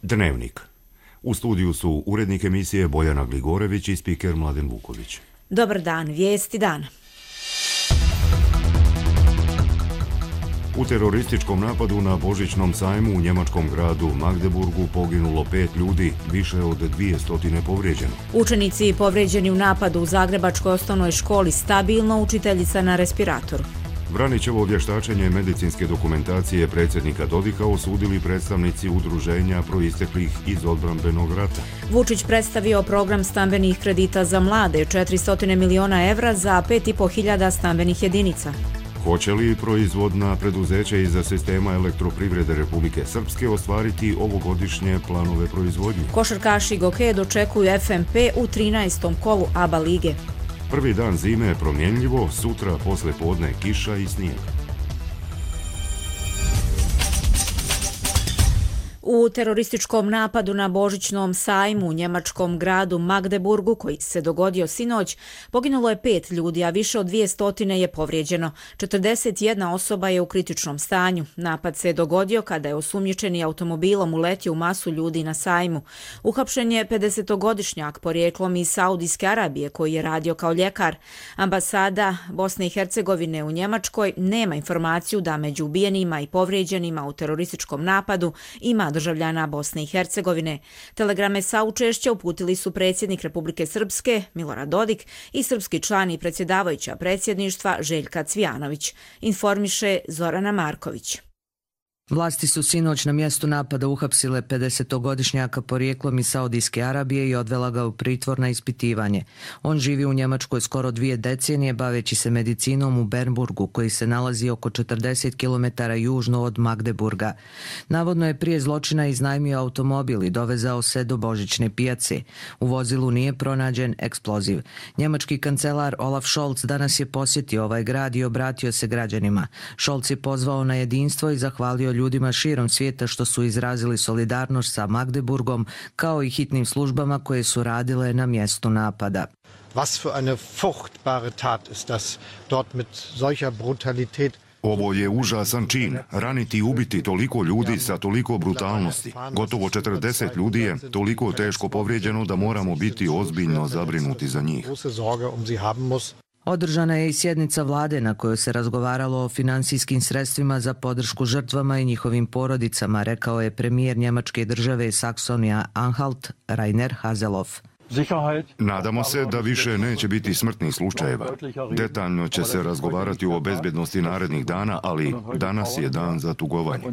Dnevnik. U studiju su urednik emisije Bojana Gligorević i spiker Mladen Vuković. Dobar dan, vijesti dana. U terorističkom napadu na Božićnom sajmu u njemačkom gradu Magdeburgu poginulo 5 ljudi, više od 200 povrijeđeno. Učenici povrijeđeni u napadu u Zagrebačkoj osnovnoj školi stabilno, učiteljica na respiratoru. Vranićevo vještačenje medicinske dokumentacije predsjednika Dodika osudili predstavnici udruženja proisteklih iz odbrambenog rata. Vučić predstavio program stambenih kredita za mlade, 400 miliona evra za 5.500 stambenih jedinica. Hoće li proizvodna preduzeća iz sistema elektroprivrede Republike Srpske ostvariti ovogodišnje planove proizvodnje? Košarkaši Goke dočekuju FNP u 13. kolu ABA lige. Prvi dan zime je promjenljivo, sutra posle podne kiša i snijeg. U terorističkom napadu na Božićnom sajmu u njemačkom gradu Magdeburgu, koji se dogodio sinoć, poginulo je 5 ljudi, a više od 200 je povrijeđeno. 41 osoba je u kritičnom stanju. Napad se dogodio kada je osumnjičeni automobilom uletio u masu ljudi na sajmu. Uhapšen je 50-godišnjak porijeklom iz Saudijske Arabije koji je radio kao ljekar. Ambasada Bosne i Hercegovine u Njemačkoj nema informaciju da među ubijenima i povrijeđenima u terorističkom napadu ima državljana Bosne i Hercegovine. Telegrame saučešća uputili su predsjednik Republike Srpske Milorad Dodik i srpski član i predsjedavajuća predsjedništva Željka Cvijanović, informiše Zorana Marković. Vlasti su sinoć na mjestu napada uhapsile 50-godišnjaka porijeklom iz Saudijske Arabije i odvela ga u pritvor na ispitivanje. On živi u Njemačkoj skoro 2 decenije baveći se medicinom u Bernburgu, koji se nalazi oko 40 km južno od Magdeburga. Navodno je prije zločina iznajmio automobil i dovezao se do Božićne pijace. U vozilu nije pronađen eksploziv. Njemački kancelar Olaf Scholz danas je posjetio ovaj grad i obratio se građanima. Scholz je pozvao na jedinstvo i zahvalio ljudima širom svijeta što su izrazili solidarnost sa Magdeburgom, kao i hitnim službama koje su radile na mjestu napada. Was für eine furchtbare Tat ist das, dort mit solcher Brutalität. Ovo je užasan čin, raniti i ubiti toliko ljudi sa toliko brutalnosti. Gotovo 40 ljudi je toliko teško povrijeđeno da moramo biti ozbiljno zabrinuti za njih. Održana je i sjednica vlade na kojoj se razgovaralo o finansijskim sredstvima za podršku žrtvama i njihovim porodicama, rekao je premijer Njemačke države Saksonija-Anhalt Rainer Haseloff. Nadamo se da više neće biti smrtnih slučajeva. Detaljno će se razgovarati o bezbjednosti narednih dana, ali danas je dan za tugovanje.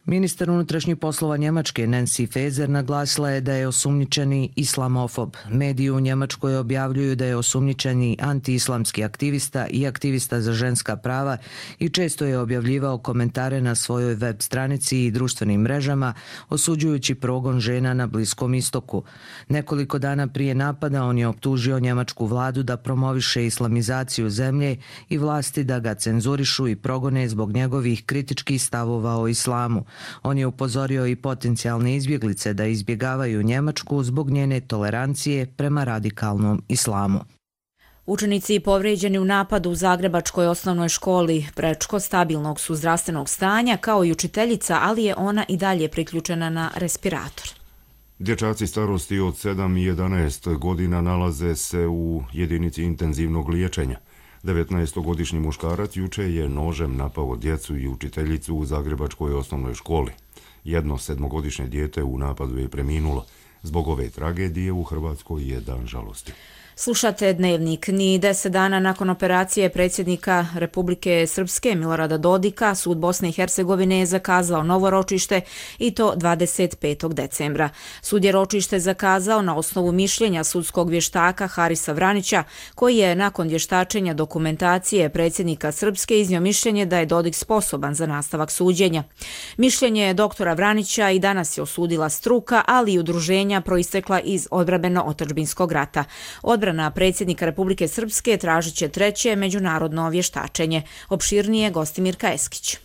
Ministar unutrašnjih poslova Njemačke Nancy Faeser naglasila je da je osumnjičeni islamofob. Mediji u Njemačkoj objavljuju da je osumnjičeni antiislamski aktivista i aktivista za ženska prava i često je objavljivao komentare na svojoj web stranici i društvenim mrežama osuđujući progon žena na Bliskom istoku. Nekoliko dana prije napada on je optužio njemačku vladu da promoviše islamizaciju zemlje i vlasti da ga cenzurišu i progone zbog njegovih kritičkih stavova o islamu. On je upozorio i potencijalne izbjeglice da izbjegavaju Njemačku zbog njene tolerancije prema radikalnom islamu. Učenici povrijeđeni u napadu u Zagrebačkoj osnovnoj školi Prečko stabilnog su zdravstvenog stanja, kao i učiteljica, ali je ona i dalje priključena na respirator. Dječaci starosti od 7 i 11 godina nalaze se u jedinici intenzivnog liječenja. 19-godišnji muškarac juče je nožem napao djecu i učiteljicu u Zagrebačkoj osnovnoj školi. Jedno 7-godišnje dijete u napadu je preminulo. Zbog ove tragedije u Hrvatskoj je dan žalosti. Slušate Dnevnik. Ni 10 dana nakon operacije predsjednika Republike Srpske Milorada Dodika, sud Bosne i Hercegovine je zakazao novo ročište i to 25. decembra. Sud je ročište zakazao na osnovu mišljenja sudskog vještaka Harisa Vranića, koji je nakon vještačenja dokumentacije predsjednika Srpske iznio mišljenje da je Dodik sposoban za nastavak suđenja. Mišljenje doktora Vranića i danas je osudila struka, ali i udruženja proistekla iz odbrambeno-otadžbinskog rata. Odbrana predsjednika Republike Srpske tražit će treće međunarodno vještačenje. Opširnije Gostimir Kaeskić.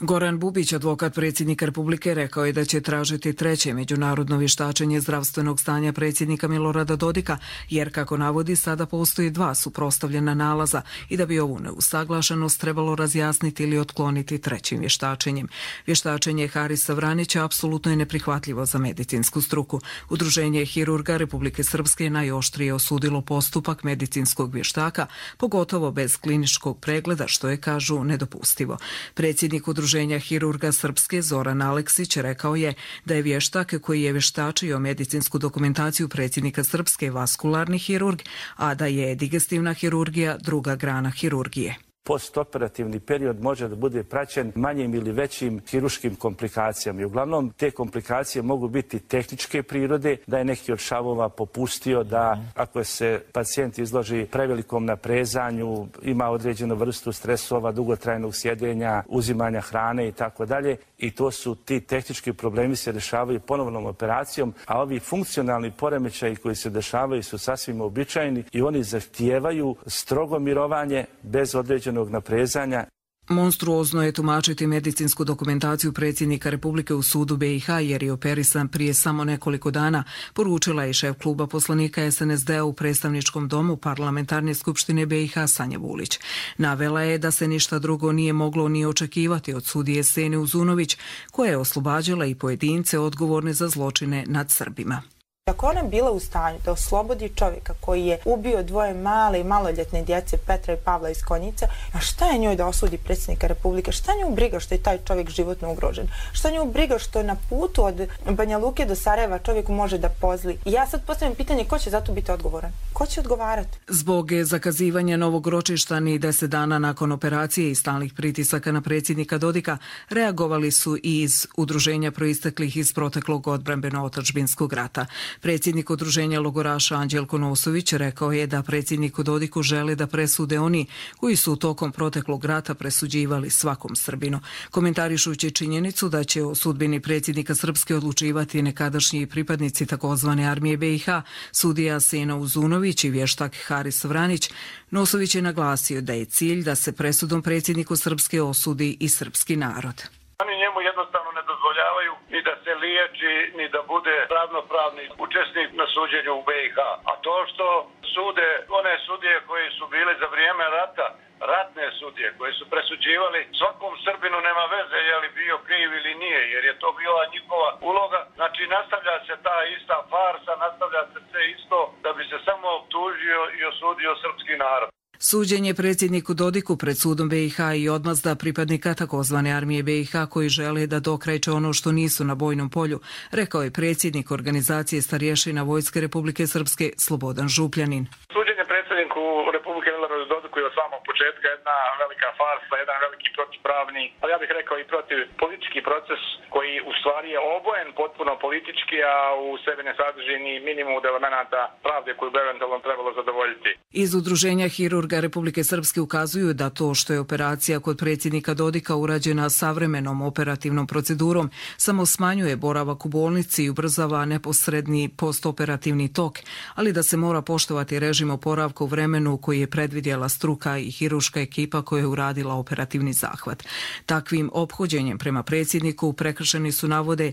Goran Bubić, advokat predsjednika Republike, rekao je da će tražiti treće međunarodno vještačenje zdravstvenog stanja predsjednika Milorada Dodika, jer, kako navodi, sada postoji dva suprotstavljena nalaza i da bi ovu neusaglašenost trebalo razjasniti ili otkloniti trećim vještačenjem. Vještačenje Harisa Vranića apsolutno je neprihvatljivo za medicinsku struku. Udruženje hirurga Republike Srpske najoštrije osudilo postupak medicinskog vještaka, pogotovo bez kliničkog pregleda, što je, kažu, nedopustivo. Predsjednik Udruženja hirurga Srpske Zoran Aleksić rekao je da je vještak koji je vještačio medicinsku dokumentaciju predsjednika Srpske vaskularni hirurg, a da je digestivna hirurgija druga grana hirurgije. Postoperativni period može da bude praćen manjim ili većim hiruškim komplikacijama. I uglavnom te komplikacije mogu biti tehničke prirode, da je neki od šavova popustio, da ako se pacijent izloži prevelikom naprezanju, ima određenu vrstu stresova, dugotrajnog sjedenja, uzimanja hrane i tako dalje. I to su ti tehnički problemi se rješavaju ponovnom operacijom, a ovi funkcionalni poremećaji koji se dešavaju su sasvim uobičajeni i oni zahtijevaju strogo mirovanje bez određenog naprezanja. Monstruozno je tumačiti medicinsku dokumentaciju predsjednika Republike u sudu BiH jer je operisan prije samo nekoliko dana, poručila je šef kluba poslanika SNSD-a u predstavničkom domu Parlamentarne skupštine BiH Sanja Vulić. Navela je da se ništa drugo nije moglo ni očekivati od sudije Sene Uzunović, koja je oslobađala i pojedince odgovorne za zločine nad Srbima. Ako ona bila u stanju da oslobodi čovjeka koji je ubio dvoje male i maloljetne djece, Petra i Pavla iz Konjica, a šta je njoj da osudi predsjednika Republike? Šta nju briga što je taj čovjek životno ugrožen? Šta nju briga što na putu od Banja Luke do Sarajeva čovjeku može da pozli? I ja sad postavljam pitanje ko će za to biti odgovoran? Ko će odgovarati? Zbog zakazivanja novog ročišta ni 10 dana nakon operacije i stalnih pritisaka na predsjednika Dodika reagovali su i iz udruženja proisteklih iz proteklog odbrambeno-otadžbinskog rata. Predsjednik udruženja logoraša Anđelko Nosović rekao je da predsjedniku Dodiku žele da presude oni koji su tokom proteklog rata presuđivali svakom Srbinu. Komentarišući činjenicu da će o sudbini predsjednika Srpske odlučivati nekadašnji pripadnici takozvane armije BiH, sudija Sena Uzunović i vještak Haris Vranić, Nosović je naglasio da je cilj da se presudom predsjedniku Srpske osudi i srpski narod. Oni njemu jednostavno ne dozvoljavaju ni da se liječi, ni da bude ravnopravni učesnik na suđenju u BiH. A to što sude one sudije koji su bili za vrijeme rata, ratne sudije koje su presuđivali svakom Srbinu, nema veze je li bio kriv ili nije, jer je to bila njihova uloga. Znači nastavlja se ta ista farsa, nastavlja se sve isto da bi se samo optužio i osudio srpski narod. Suđenje predsjedniku Dodiku pred sudom BiH i odmazda pripadnika takozvane armije BiH koji žele da dokrajče ono što nisu na bojnom polju, rekao je predsjednik organizacije starješina Vojske Republike Srpske Slobodan Župljanin. Suđenje predsjedniku Republike Miloradu Dodiku je od samog početka jedna velika farsa, jedan veliki protivpravni, ali ja bih rekao i protiv politički proces koji u stvari je obojen potpuno politički, a u sebi ne sadrži ni minimum elemenata pravde koju bi eventualno trebalo zadovoljiti. Iz udruženja hirurga Republike Srpske ukazuju da to što je operacija kod predsjednika Dodika urađena savremenom operativnom procedurom samo smanjuje boravak u bolnici i ubrzava neposredni postoperativni tok, ali da se mora poštovati režim oporavka u vremenu koji je predvidjela struka i hirurška ekipa koja je uradila operativni zahvat. Takvim ophođenjem prema predsjedniku prekršeni su, navode,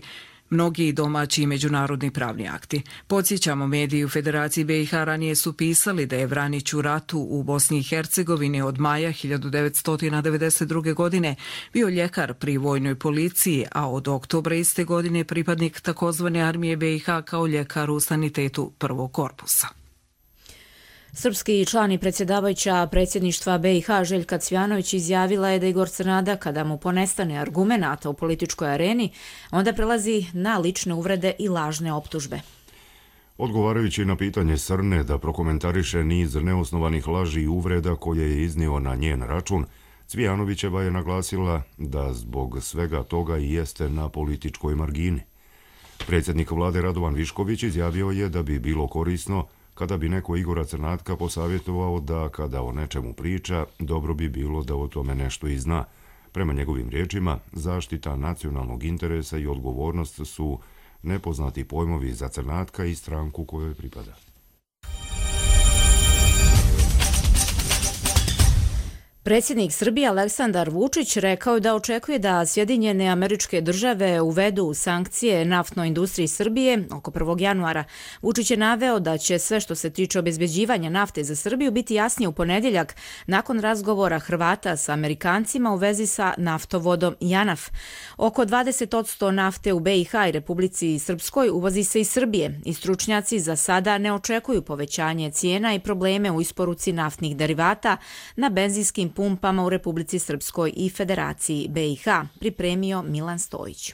mnogi domaći i međunarodni pravni akti. Podsjećamo, mediji u Federaciji BiH ranije su pisali da je Vranić u ratu u Bosni i Hercegovini od maja 1992. godine bio ljekar pri vojnoj policiji, a od oktobra iste godine pripadnik takozvane armije BiH kao ljekar u sanitetu prvog korpusa. Srpski član i predsjedavajuća predsjedništva BiH Željka Cvjanović izjavila je da Igor Crnada, kada mu ponestane argumenata u političkoj areni, onda prelazi na lične uvrede i lažne optužbe. Odgovarajući na pitanje Srne da prokomentariše niz neosnovanih laži i uvreda koje je iznio na njen račun, Cvjanovićeva je naglasila da zbog svega toga i jeste na političkoj margini. Predsjednik vlade Radovan Višković izjavio je da bi bilo korisno kada bi neko Igora Crnatka posavjetovao da kada o nečemu priča, dobro bi bilo da o tome nešto i zna. Prema njegovim riječima, zaštita nacionalnog interesa i odgovornost su nepoznati pojmovi za Crnatka i stranku kojoj pripada. Predsjednik Srbije Aleksandar Vučić rekao je da očekuje da Sjedinjene Američke Države uvedu sankcije naftnoj industriji Srbije oko 1. januara. Vučić je naveo da će sve što se tiče obezbeđivanja nafte za Srbiju biti jasnije u ponedjeljak nakon razgovora Hrvata sa Amerikancima u vezi sa naftovodom JANAF. Oko 20% nafte u BiH i Republici Srpskoj uvozi se iz Srbije i stručnjaci za sada ne očekuju povećanje cijena i probleme u isporuci naftnih derivata na benzinskim pumpama u Republici Srpskoj i Federaciji BiH, pripremio Milan Stojić.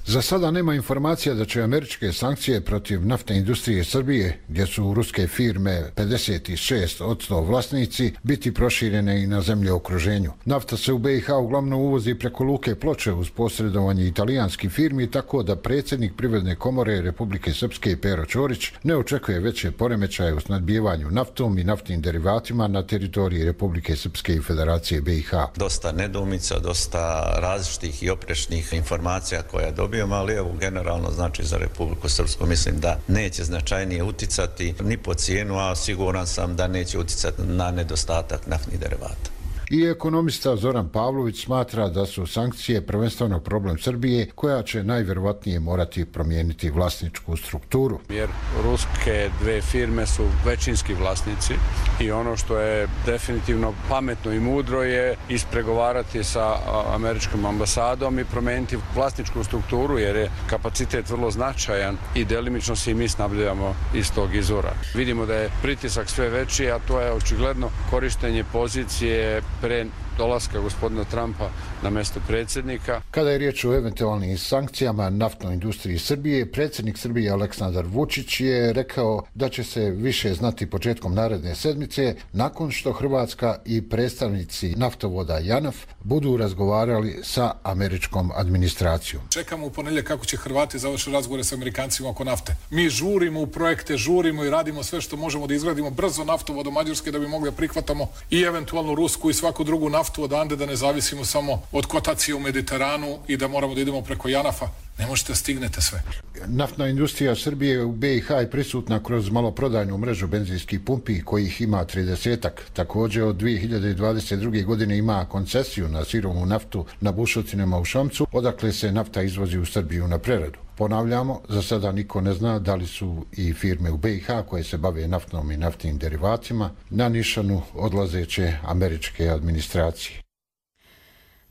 Za sada nema informacija da će američke sankcije protiv naftne industrije Srbije, gdje su ruske firme 56% vlasnici, biti proširene i na zemlje u okruženju. Nafta se u BiH uglavnom uvozi preko luke Ploče uz posredovanje italijanskih firmi, tako da predsjednik Privredne komore Republike Srpske Pero Ćorić ne očekuje veće poremećaje u snabdijevanju naftom i naftnim derivatima na teritoriji Republike Srpske i Federacije BiH. Dosta nedoumica, dosta različitih i oprečnih informacija koja dobijamo, ali evo generalno znači za Republiku Srpsku mislim da neće značajnije uticati ni po cijenu, a siguran sam da neće uticati na nedostatak naftnih derivata. I ekonomista Zoran Pavlović smatra da su sankcije prvenstveno problem Srbije, koja će najvjerovatnije morati promijeniti vlasničku strukturu. Jer ruske dve firme su većinski vlasnici i ono što je definitivno pametno i mudro je ispregovarati sa američkom ambasadom i promijeniti vlasničku strukturu, jer je kapacitet vrlo značajan i delimično se i mi snabdijamo iz tog izvora. Vidimo da je pritisak sve veći, a to je očigledno korištenje pozicije pre dolaska gospodina Trumpa na mjesto predsjednika. Kada je riječ o eventualnim sankcijama naftnoj industriji Srbije, predsjednik Srbije Aleksandar Vučić je rekao da će se više znati početkom naredne sedmice, nakon što Hrvatska i predstavnici naftovoda JANAF budu razgovarali sa američkom administracijom. Čekamo u ponedjeljak kako će Hrvati završiti razgovore sa Amerikancima oko nafte. Mi žurimo u projekte, žurimo i radimo sve što možemo da izgradimo brzo naftovod do Mađarske da bi mogli da prihvatamo i eventualno rusku i svaku drugu naftu odande, da ne zavisimo samo od kotacije u Mediteranu i da moramo da idemo preko JANAF-a. Ne možete stignete sve. Naftna industrija Srbije u BiH je prisutna kroz maloprodajnu mrežu benzinskih pumpi, kojih ima 30-ak. Također od 2022. godine ima koncesiju na sirovu naftu na bušotinama u Šamcu, odakle se nafta izvozi u Srbiju na preradu. Ponavljamo, za sada niko ne zna da li su i firme u BiH koje se bave naftnom i naftnim derivatima na nišanu odlazeće američke administracije.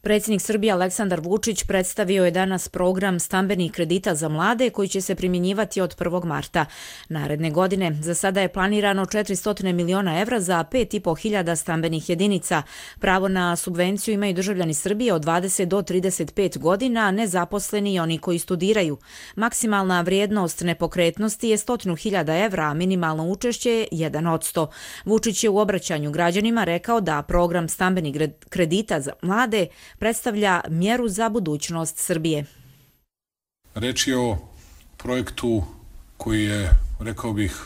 Predsjednik Srbije Aleksandar Vučić predstavio je danas program stambenih kredita za mlade koji će se primjenjivati od 1. marta. Naredne godine za sada je planirano 400 miliona evra za 5.500 stambenih jedinica. Pravo na subvenciju imaju državljani Srbije od 20 do 35 godina, nezaposleni i oni koji studiraju. Maksimalna vrijednost nepokretnosti je 100.000 evra, a minimalno učešće je 1%. Vučić je u obraćanju građanima rekao da program stambenih kredita za mlade predstavlja mjeru za budućnost Srbije. Reč je o projektu koji je, rekao bih,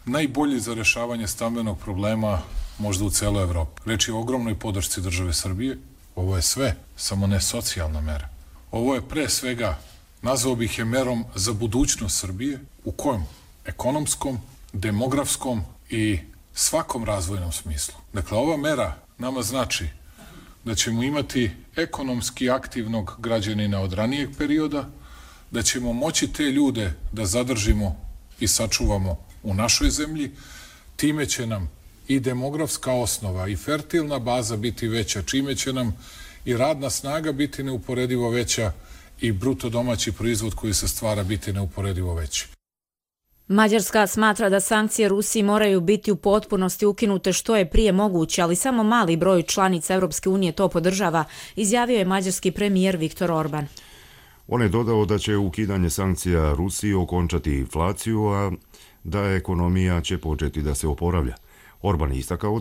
najbolji za rješavanje stambenog problema možda u celoj Evropi. Reč je o ogromnoj podršci države Srbije. Ovo je sve, samo ne socijalna mera. Ovo je pre svega, nazvao bih je merom za budućnost Srbije, u kojem ekonomskom, demografskom i svakom razvojnom smislu. Dakle, ova mera nama znači da ćemo imati ekonomski aktivnog građanina od ranijeg perioda, da ćemo moći te ljude da zadržimo i sačuvamo u našoj zemlji, time će nam i demografska osnova i fertilna baza biti veća, čime će nam i radna snaga biti neuporedivo veća i bruto domaći proizvod koji se stvara biti neuporedivo veći. Mađarska smatra da sankcije Rusiji moraju biti u potpunosti ukinute što je prije moguće, ali samo mali broj članica Europske unije to podržava, izjavio je mađarski premijer Viktor Orban. On je dodao da će ukidanje sankcija Rusiji okončati inflaciju, a da ekonomija će početi da se oporavlja. Orban je istakao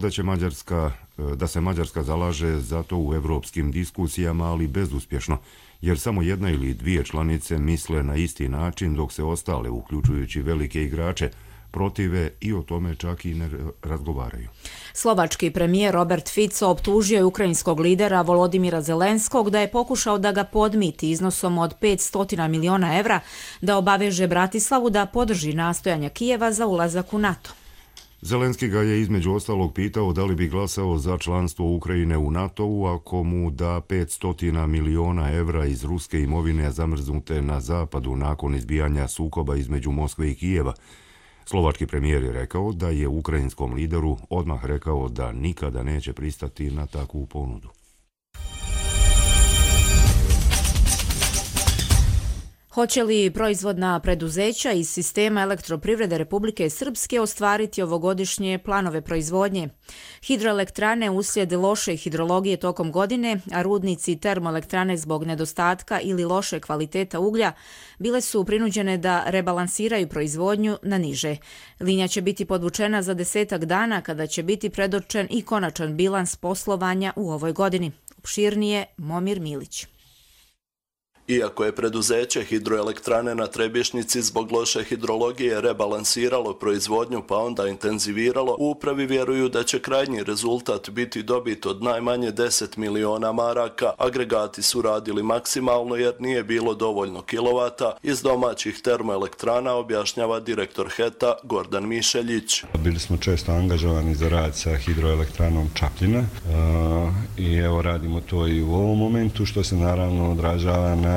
da se Mađarska zalaže za to u evropskim diskusijama, ali bezuspješno, jer samo jedna ili dvije članice misle na isti način, dok se ostale, uključujući velike igrače, protive i o tome čak i ne razgovaraju. Slovački premijer Robert Fico optužio je ukrajinskog lidera Volodimira Zelenskog da je pokušao da ga podmiti iznosom od 500 miliona evra da obaveže Bratislavu da podrži nastojanja Kijeva za ulazak u NATO. Zelenski ga je između ostalog pitao da li bi glasao za članstvo Ukrajine u NATO-u ako mu da 500 miliona evra iz ruske imovine zamrznute na zapadu nakon izbijanja sukoba između Moskve i Kijeva. Slovački premijer je rekao da je ukrajinskom lideru odmah rekao da nikada neće pristati na takvu ponudu. Hoće li proizvodna preduzeća iz sistema elektroprivrede Republike Srpske ostvariti ovogodišnje planove proizvodnje? Hidroelektrane uslijed loše hidrologije tokom godine, a rudnici i termoelektrane zbog nedostatka ili loše kvaliteta uglja bile su prinuđene da rebalansiraju proizvodnju na niže. Linija će biti podvučena za 10 dana kada će biti predočen i konačan bilans poslovanja u ovoj godini. Opširnije Momir Milić. Iako je preduzeće Hidroelektrane na Trebišnjici zbog loše hidrologije rebalansiralo proizvodnju pa onda intenziviralo, u upravi vjeruju da će krajnji rezultat biti dobit od najmanje 10 miliona maraka. Agregati su radili maksimalno jer nije bilo dovoljno kilovata iz domaćih termoelektrana, objašnjava direktor HET-a Gordan Mišeljić. Bili smo često angažovani za rad sa hidroelektranom Čapljina i evo radimo to i u ovom momentu, što se naravno odražava na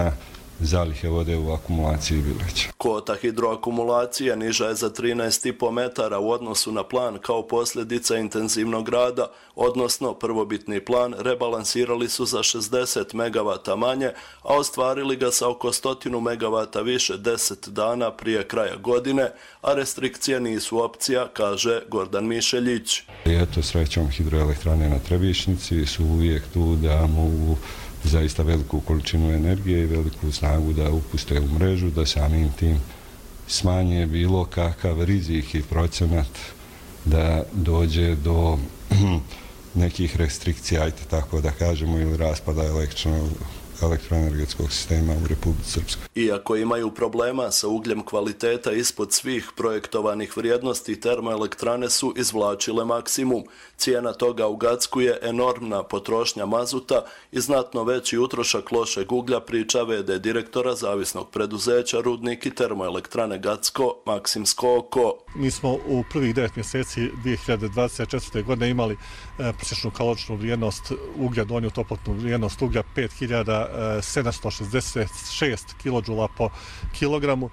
zalihe vode u akumulaciji Bileća. Kvota hidroakumulacije niža je za 13,5 metara u odnosu na plan kao posljedica intenzivnog rada, odnosno prvobitni plan rebalansirali su za 60 megavata manje, a ostvarili ga sa oko 100 megavata više 10 dana prije kraja godine, a restrikcije nisu opcija, kaže Gordan Mišeljić. Eto, srećom hidroelektrane na Trebišnjici su uvijek tu da mogu zaista veliku količinu energije i veliku snagu da upuste u mrežu, da samim tim smanje bilo kakav rizik i procenat da dođe do nekih restrikcija, ajte tako da kažemo, ili raspada elektroenergetskog sistema u Republici Srpskoj. Iako imaju problema sa ugljem kvaliteta ispod svih projektovanih vrijednosti, termoelektrane su izvlačile maksimum. Cijena toga u Gacku je enormna potrošnja mazuta i znatno veći utrošak lošeg uglja, priča v.d. direktora zavisnog preduzeća Rudnik i termoelektrane Gacko Maksim Skoko. Mi smo u prvih 9 mjeseci 2024. godine imali prosječnu kaloričnu vrijednost uglja, donju toplotnu vrijednost uglja 5766 kJ po kilogramu,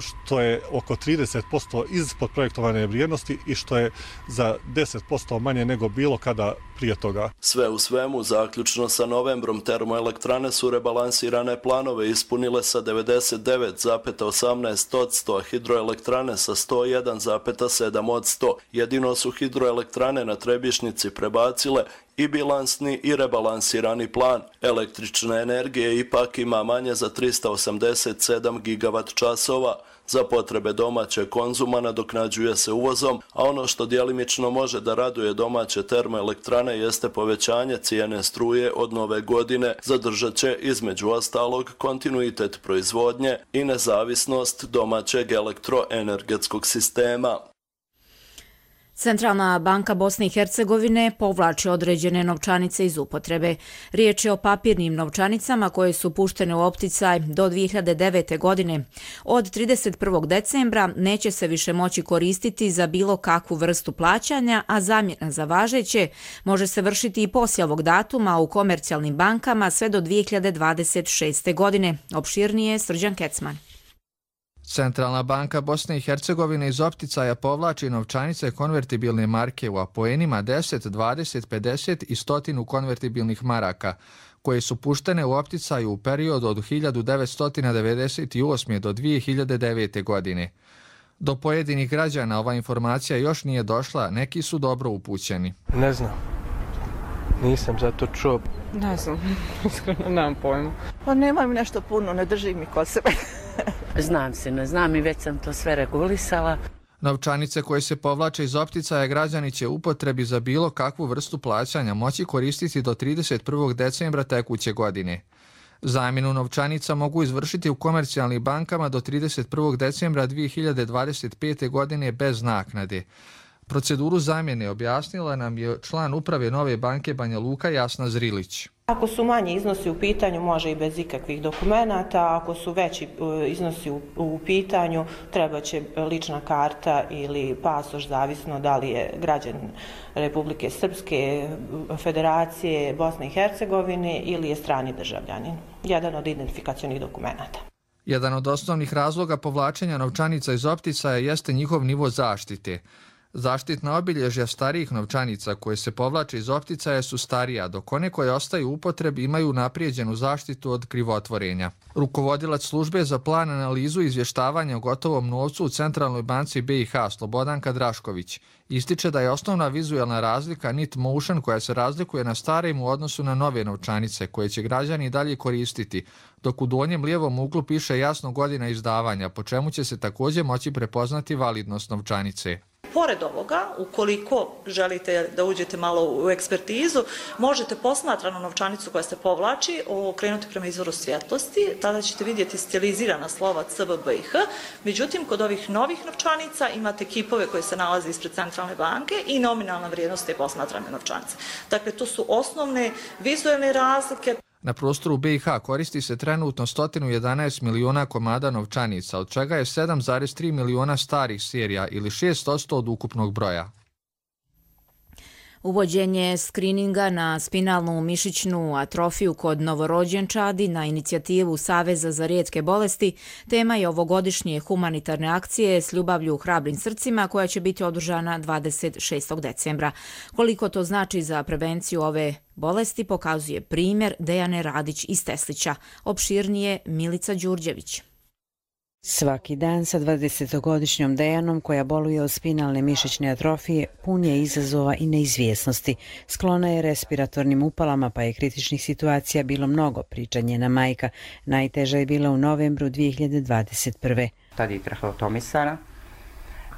što je oko 30% ispod projektovane vrijednosti i što je za 10% manje nego bilo kada prije toga. Sve u svemu, zaključno sa novembrom, termoelektrane su rebalansirane planove ispunile sa 99,18%, a hidroelektrane sa 101,7%. Jedino su hidroelektrane na Trebišnjici prebacile i bilansni i rebalansirani plan. Električne energije ipak ima manje za 387 gigavat časova. Za potrebe domaće konzuma nadoknađuje se uvozom, a ono što djelimično može da raduje domaće termoelektrane jeste povećanje cijene struje od nove godine. Zadržat će između ostalog kontinuitet proizvodnje i nezavisnost domaćeg elektroenergetskog sistema. Centralna banka Bosne i Hercegovine povlači određene novčanice iz upotrebe. Riječ je o papirnim novčanicama koje su puštene u opticaj do 2009. godine. Od 31. decembra neće se više moći koristiti za bilo kakvu vrstu plaćanja, a zamjena za važeće može se vršiti i poslije ovog datuma u komercijalnim bankama sve do 2026. godine. Opširnije Srđan Kecman. Centralna banka Bosne i Hercegovine iz opticaja povlači novčanice konvertibilne marke u apoenima 10, 20, 50 i 100 konvertibilnih maraka, koje su puštene u opticaju u periodu od 1998. do 2009. godine. Do pojedinih građana ova informacija još nije došla, neki su dobro upućeni. Ne znam. Nisam za to čuo. Ne znam, iskreno nemam pojma. Pa nemam nešto puno, ne držim mi kod sebe. Znam se, ne znam i već sam to sve regulisala. Novčanice koje se povlače iz opticaja građani će upotrebi za bilo kakvu vrstu plaćanja moći koristiti do 31. decembra tekuće godine. Zamjenu novčanica mogu izvršiti u komercijalnim bankama do 31. decembra 2025. godine bez naknade. Proceduru zamjene objasnila nam je član uprave Nove banke Banja Luka Jasna Zrilić. Ako su manji iznosi u pitanju, može i bez ikakvih dokumenata. Ako su veći iznosi u pitanju, treba će lična karta ili pasoš, zavisno da li je građanin Republike Srpske, Federacije, Bosne i Hercegovine ili je strani državljanin. Jedan od identifikacionih dokumenata. Jedan od osnovnih razloga povlačenja novčanica iz opticaja jeste njihov nivo zaštite. Zaštitna obilježja starijih novčanica koje se povlače iz opticaja su starija, dok one koje ostaju u upotrebi imaju naprijeđenu zaštitu od krivotvorenja. Rukovodilac službe za plan, analizu i izvještavanja o gotovom novcu u Centralnoj banci BiH Slobodanka Drašković ističe da je osnovna vizualna razlika nit motion koja se razlikuje na starim u odnosu na nove novčanice koje će građani dalje koristiti, dok u donjem lijevom uglu piše jasno godina izdavanja, po čemu će se također moći prepoznati validnost novčanice. Pored ovoga, ukoliko želite da uđete malo u ekspertizu, možete posmatranu novčanicu koja se povlači okrenuti prema izvoru svjetlosti, tada ćete vidjeti stilizirana slova CBBIH. Međutim, kod ovih novih novčanica imate kipove koje se nalaze ispred Centralne banke i nominalna vrijednost te posmatrane novčanice. Dakle, to su osnovne vizualne razlike. Na prostoru BiH koristi se trenutno 111 miliona komada novčanica, od čega je 7,3 miliona starih serija ili 6% od ukupnog broja. Uvođenje skrininga na spinalnu mišićnu atrofiju kod novorođenčadi na inicijativu Saveza za rijetke bolesti tema je ovogodišnje humanitarne akcije S ljubavlju u hrabrim srcima koja će biti održana 26. decembra. Koliko to znači za prevenciju ove bolesti pokazuje primjer Dejane Radić iz Teslića. Opširnije Milica Đurđević. Svaki dan sa 20-godišnjom Dejanom koja boluje od spinalne mišićne atrofije pun je izazova i neizvjesnosti. Sklona je respiratornim upalama pa je kritičnih situacija bilo mnogo, priča njena majka. Najteža je bila u novembru 2021. Tad je traheotomisana,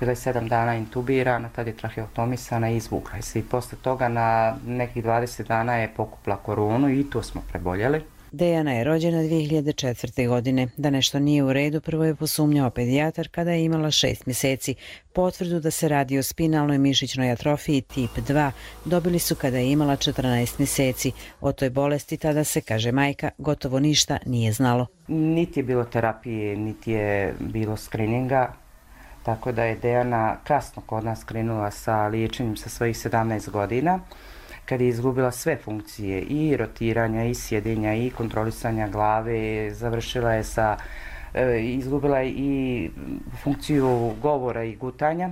bila je 7 dana intubirana, tad je traheotomisana i izvukla se. I posle toga na nekih 20 dana je pokupla koronu i to smo preboljeli. Dejana je rođena 2004. godine. Da nešto nije u redu, prvo je posumnjao pedijatar kada je imala 6 mjeseci. Potvrdu da se radi o spinalnoj mišićnoj atrofiji tip 2 dobili su kada je imala 14 mjeseci. O toj bolesti tada se, kaže majka, gotovo ništa nije znalo. Niti je bilo terapije, niti je bilo skrininga, tako da je Dejana kasno kod nas krenula sa liječenjem sa svojih 17 godina. Kad je izgubila sve funkcije i rotiranja i sjedenja i kontrolisanja glave, završila je izgubila je i funkciju govora i gutanja.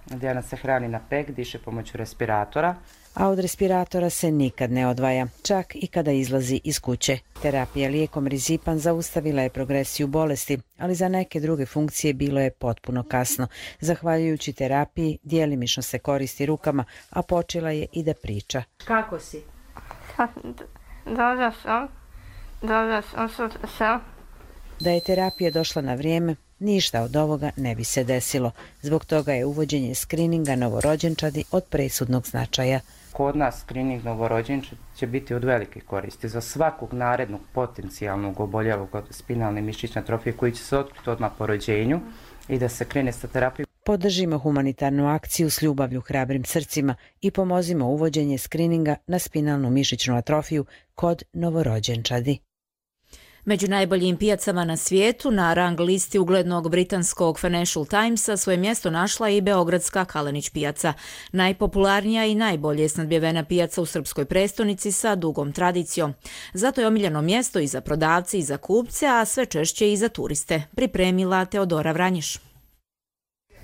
Dejana se hrani na pek, diše pomoću respiratora. A od respiratora se nikad ne odvaja, čak i kada izlazi iz kuće. Terapija lijekom Rizipan zaustavila je progresiju bolesti, ali za neke druge funkcije bilo je potpuno kasno. Zahvaljujući terapiji, djelimično se koristi rukama, a počela je i da priča. Kako si? Dobra sam. Da je terapija došla na vrijeme, ništa od ovoga ne bi se desilo. Zbog toga je uvođenje skrininga novorođenčadi od presudnog značaja. Kod nas skrining novorođenčadi će biti od velike koristi za svakog narednog potencijalnog oboljelog od spinalne mišićne atrofije koji će se otkriti odmah po rođenju i da se krene sa terapijom. Podržimo humanitarnu akciju S ljubavlju hrabrim srcima i pomozimo uvođenje skrininga na spinalnu mišićnu atrofiju kod novorođenčadi. Među najboljim pijacama na svijetu na rang listi uglednog britanskog Financial Timesa svoje mjesto našla i beogradska Kalenić pijaca. Najpopularnija i najbolje snadbjevena pijaca u srpskoj prestonici sa dugom tradicijom. Zato je omiljeno mjesto i za prodavce i za kupce, a sve češće i za turiste. Pripremila Teodora Vranješ.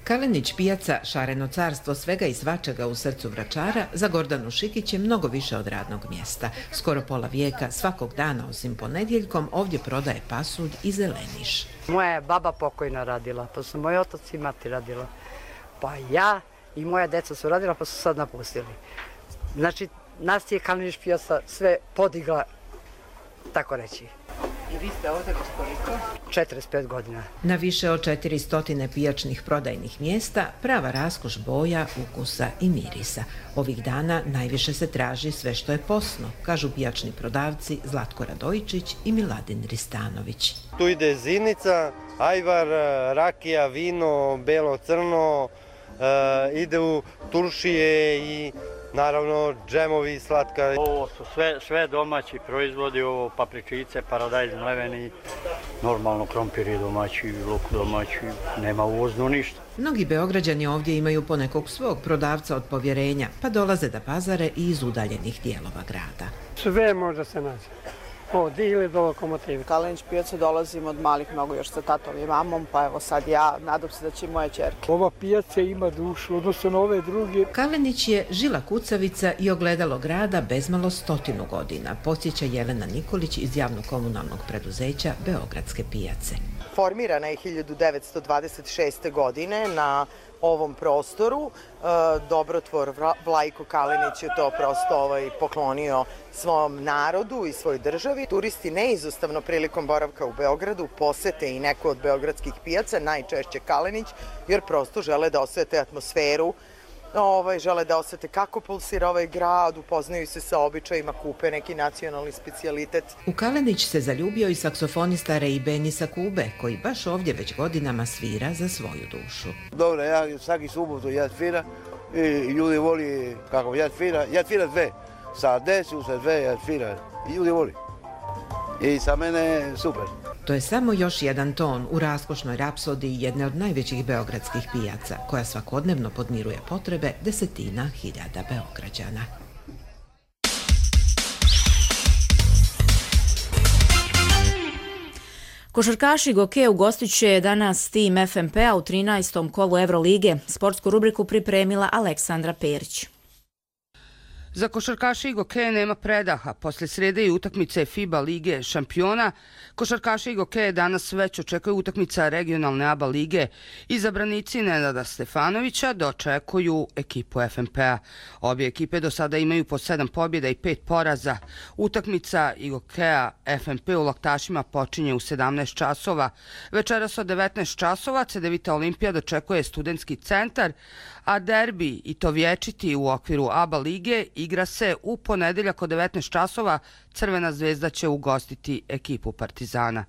Kalenić pijaca, šareno carstvo svega i svačega u srcu Vračara, za Gordanu Šikić je mnogo više od radnog mjesta. Skoro pola vijeka, svakog dana osim ponedjeljkom, ovdje prodaje pasulj i zeleniš. Moja je baba pokojna radila, pa su moji otac i mati radila. Pa ja i moja deca su radila, pa su sad napustili. Znači, nas je Kalenić pijaca sve podigla, tako reći. I vi ste ovdje već koliko? 45 godina. Na više od 400 pijačnih prodajnih mjesta prava raskoš boja, ukusa i mirisa. Ovih dana najviše se traži sve što je posno, kažu pijačni prodavci Zlatko Radojičić i Miladin Ristanović. Tu ide zinica, ajvar, rakija, vino, belo, crno, ide u turšije i naravno džemovi, slatka. Ovo su sve domaći proizvodi, ovo papričice, paradajz mleveni, normalno krompir je domaći, luk domaći, nema uvozno ništa. Mnogi Beograđani ovdje imaju ponekog svog prodavca od povjerenja, pa dolaze da pazare i iz udaljenih dijelova grada. Sve može se naći. Od ili do Lokomotive. Kalenić pijacu dolazim od malih nogu još sa tatom i mamom, pa evo sad ja, nadam se da će i moje ćerke. Ova pijaca ima dušu, odnosno na ove druge. Kalenić je žila kucavica i ogledalo grada bezmalo 100 godina, podsjeća Jelena Nikolić iz javno-komunalnog preduzeća Beogradske pijace. Formirana je 1926. godine na ovom prostoru. Dobrotvor Vlajko Kalenić je to prosto poklonio svom narodu i svoj državi. Turisti neizostavno prilikom boravka u Beogradu posete i neku od beogradskih pijaca, najčešće Kalenić, jer prosto žele da osete atmosferu, žele da osete kako pulsira ovaj grad, upoznaju se sa običajima, kupe neki nacionalni specijalitet. U Kalenić se zaljubio i saksofonista Ray Benny sa Kube, koji baš ovdje već godinama svira za svoju dušu. Dobro, ja svaki subotu svira i ljudi voli kako svira sve. Sa desu, sa sve svira i ljudi voli. I sa mene super. To je samo još jedan ton u raskošnoj rapsodiji jedne od najvećih beogradskih pijaca, koja svakodnevno podmiruje potrebe desetina hiljada Beograđana. Košarkaši Goke ugostit će danas tim FNP-a u 13. kolu Evrolige. Sportsku rubriku pripremila Aleksandra Perić. Za košarkaše Goke nema predaha. Posle srede i utakmice FIBA Lige šampiona, košarkaše Goke danas već očekuje utakmica regionalne ABA lige. Izabranici Nenada Stefanovića dočekuju ekipu FNP-a. Obje ekipe do sada imaju po 7 pobjeda i 5 poraza. Utakmica Gokea FNP u Laktašima počinje u 17 časova. Večeras od 19 časova Cedevita Olimpija dočekuje Studentski centar, a derbi i to vječiti u okviru ABA lige igra se u ponedeljak od 19 časova. Crvena zvezda će ugostiti ekipu Partizana.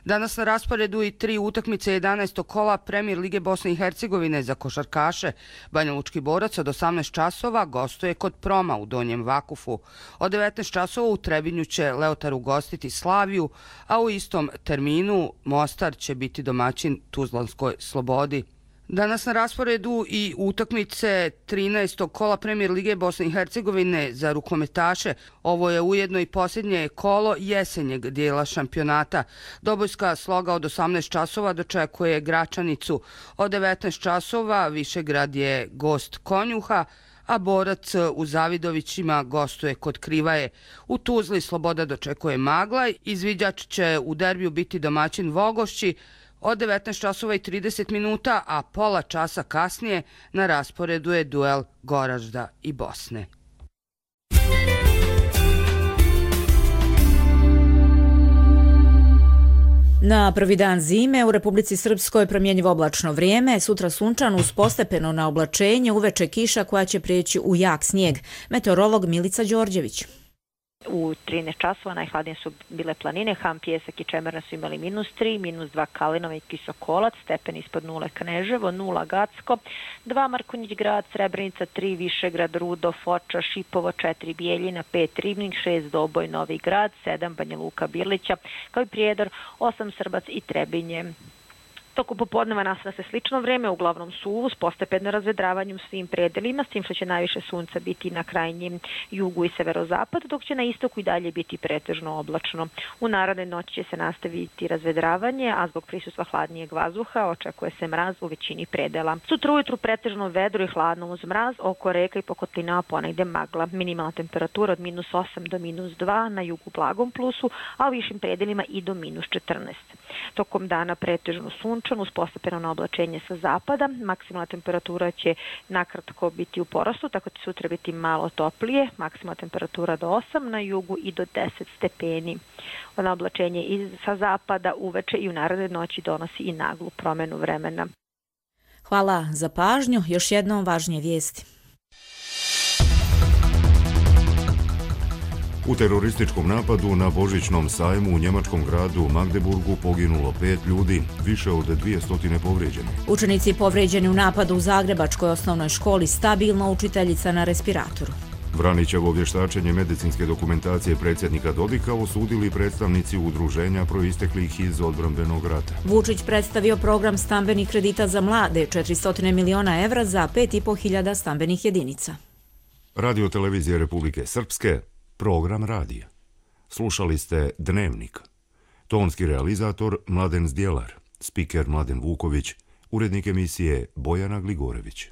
Danas na rasporedu i 3 utakmice 11. kola Premijer Lige Bosne i Hercegovine za košarkaše. Banja Lučki Borac od 18 časova gostuje kod Proma u Donjem Vakufu. Od 19 časova u Trebinju će Leotar ugostiti Slaviju, a u istom terminu Mostar će biti domaćin Tuzlanskoj Slobodi. Danas na rasporedu i utakmice 13. kola Premijer Lige Bosne i Hercegovine za rukometaše. Ovo je ujedno i posljednje kolo jesenjeg dijela šampionata. Dobojska Sloga od 18 časova dočekuje Gračanicu. Od 19 časova Višegrad je gost Konjuha, a Borac u Zavidovićima gostuje kod Krivaje. U Tuzli Sloboda dočekuje Maglaj. Izviđač će u derbiju biti domaćin Vogošći od 19 časova i 30 minuta, a pola časa kasnije na rasporedu je duel Goražda i Bosne. Na prvi dan zime u Republici Srpskoj promjenjivo oblačno vrijeme, sutra sunčano uz postepeno na oblačenje, uveče kiša koja će prijeći u jak snijeg. Meteorolog Milica Đorđević. U 13 časova najhladnije su bile planine, Ham, Pjesak i Čemerna su imali -3, -2 Kalinova i Kisokolac, stepen ispod 0 Kneževo, 0 Gacko, 2 Markonjić grad, Srebrenica, 3 Višegrad, Rudo, Foča, Šipovo, 4 Bijeljina, 5 Ribnik, 6 Doboj, Novi grad, 7 Banja Luka, Birlića, kao i Prijedor, 8 Srbac i Trebinje. Toku popodneva nastavlja se slično vrijeme, uglavnom suvo, s postepeno razvedravanjem u svim predelima, s tim što će najviše sunca biti na krajnjem jugu i severozapadu, dok će na istoku i dalje biti pretežno oblačno. U narednoj noći će se nastaviti razvedravanje, a zbog prisustva hladnijeg vazduha očekuje se mraz u većini predela. Sutra ujutru pretežno vedro i hladno uz mraz, oko reka i pokotlinama ponegde magla. Minimalna temperatura od -8 do -2, na jugu blagom plusu, a u višim predelima i do -14. Tokom dana pretežno sunčan uz postepeno na oblačenje sa zapada. Maksimalna temperatura će nakratko biti u porastu, tako će sutra biti malo toplije. Maksimalna temperatura do 8 na jugu i do 10 stepeni. Na oblačenje sa zapada uveče i u narednoj noći donosi i naglu promjenu vremena. Hvala za pažnju. Još jednom važnije vijesti. U terorističkom napadu na Božićnom sajmu u njemačkom gradu Magdeburgu poginulo 5 ljudi, više od 200 povrijeđeni. Učenici povrijeđeni u napadu u Zagrebačkoj osnovnoj školi, stabilno, učiteljica na respiratoru. Vranićevo vještačenje medicinske dokumentacije predsjednika Dodika osudili predstavnici udruženja proisteklih iz odbrambenog rata. Vučić predstavio program stambenih kredita za mlade, 400 miliona evra za 5.500 stambenih jedinica. Radio televizije Republike Srpske, program radija. Slušali ste Dnevnik. Tonski realizator Mladen Zdjelar, spiker Mladen Vuković, urednik emisije Bojana Gligorević.